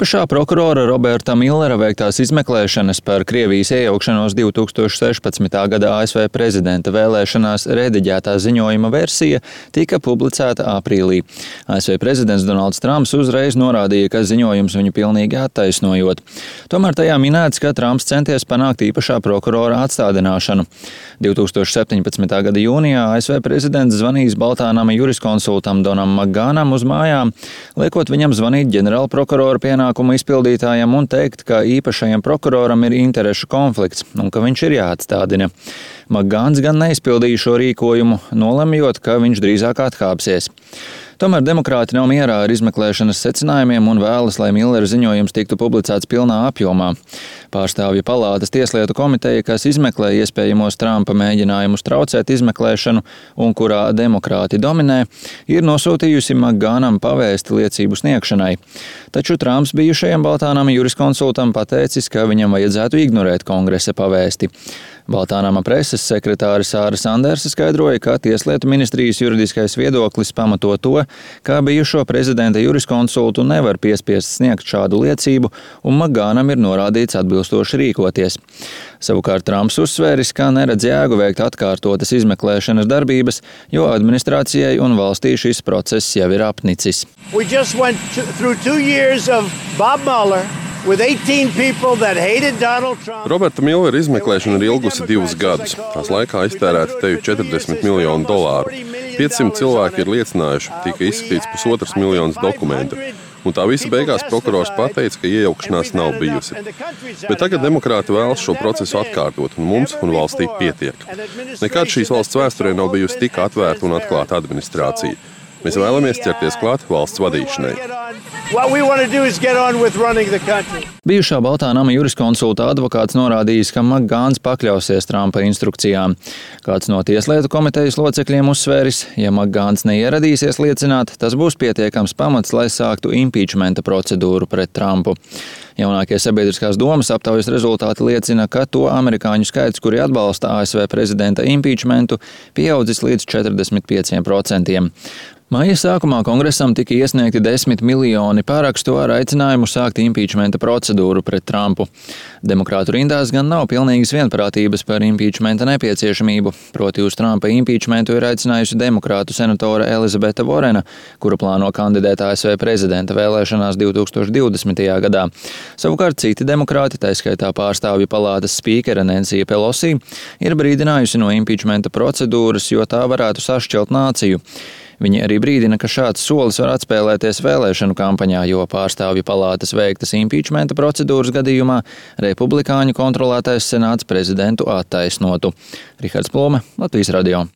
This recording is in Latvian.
Īpašā prokurora Roberta Millera veiktās izmeklēšanas par Krievijas iejaukšanos 2016. gada ASV prezidenta vēlēšanās rediģētā ziņojuma versija tika publicēta aprīlī. ASV prezidents Donalds Trumps uzreiz norādīja, ka ziņojums viņu pilnīgi attaisnojot. Tomēr tajā minēts, ka Trumps centies panākt īpašā prokurora atstādināšanu. 2017. gada jūnijā ASV prezidents zvanījis Baltānama juriskonsultam Donam Makgānam uz mājām, liekot viņam zvanīt ģenerālprokurora pienākumu izpildītājam un teikt, ka īpašajam prokuroram ir interešu konflikts un ka viņš ir jāatstādina. Makgāns gan neizpildīja šo rīkojumu, nolemjot, ka viņš drīzāk atkāpsies. Tomēr demokrāti nav mierā ar izmeklēšanas secinājumiem un vēlas, lai Millera ziņojums tiktu publicēts pilnā apjomā. Pārstāvju palātas tieslietu komiteja, kas izmeklē iespējamos Trumpa mēģinājumus traucēt izmeklēšanu un kurā demokrāti dominē, ir nosūtījusi Makgānam pavēsti liecību sniegšanai. Taču Trumps bijušajam Baltānama juriskonsultam pateicis, ka viņam vajadzētu ignorēt kongresa pavēsti. Baltānama preses sekretāre Sāra Sandersa skaidroja, ka Tieslietu ministrijas juridiskais viedoklis pamato to, ka bijušo prezidenta juriskonsultu nevar piespiest sniegt šādu liecību, un Makgānam ir norādīts atbilstoši rīkoties. Savukārt Trumps uzsvēris, ka neredz jēgu veikt atkārtotas izmeklēšanas darbības, jo administrācijai un valstī šis process jau ir apnicis. Roberta Millera izmeklēšana ir ilgusi 2 gadus. Tās laikā iztērēta teju $40 miljonu. 500 cilvēki ir liecinājuši, tika izskatīts 1,5 miljonus dokumentu. Un tā visa beigās prokurors pateica, ka iejaukšanās nav bijusi. Bet tagad demokrāti vēlas šo procesu atkārtot, un mums un valstī pietiek. Nekad šīs valsts vēsturē nav bijusi tik atvērta un atklāta administrācija. Mēs vēlamies ķerties klāt valsts vadīšanai. Bijušā Baltānama juriskonsulta advokāts norādījis, ka Makgāns pakļausies Trumpa instrukcijām. Kāds no tieslietu komitejas locekļiem uzsvēris, ja Makgāns neieradīsies liecināt, tas būs pietiekams pamats, lai sāktu impeachmenta procedūru pret Trumpu. Jaunākie sabiedriskās domas aptaujas rezultāti liecina, ka to amerikāņu skaits, kuri atbalsta ASV prezidenta impeachmentu, pieaudzis līdz 45%. Maija sākumā kongresam tika iesniegti 10 miljoni parakstu ar aicinājumu sākt impeachmenta procedūru pret Trumpu. Demokrātu rindās gan nav pilnīgas vienprātības par impeachmenta nepieciešamību, proti uz Trumpa impeachmentu ir aicinājusi demokrātu senatore Elizabete Vorena, kura plāno kandidēt ASV prezidenta vēlēšanās 2020. gadā. Savukārt citi demokrāti, tā skaitā pārstāvju palātas spīkere Nancy Pelosi, ir brīdinājusi no impeachmenta procedūras, jo tā varētu sašķelt nāciju. Viņi arī brīdina, ka šāds solis var atspēlēties vēlēšanu kampaņā, jo pārstāvju palātas veiktas impeachmenta procedūras gadījumā republikāņu kontrolētais senāts prezidentu attaisnotu. Rihards Plome, Latvijas radio.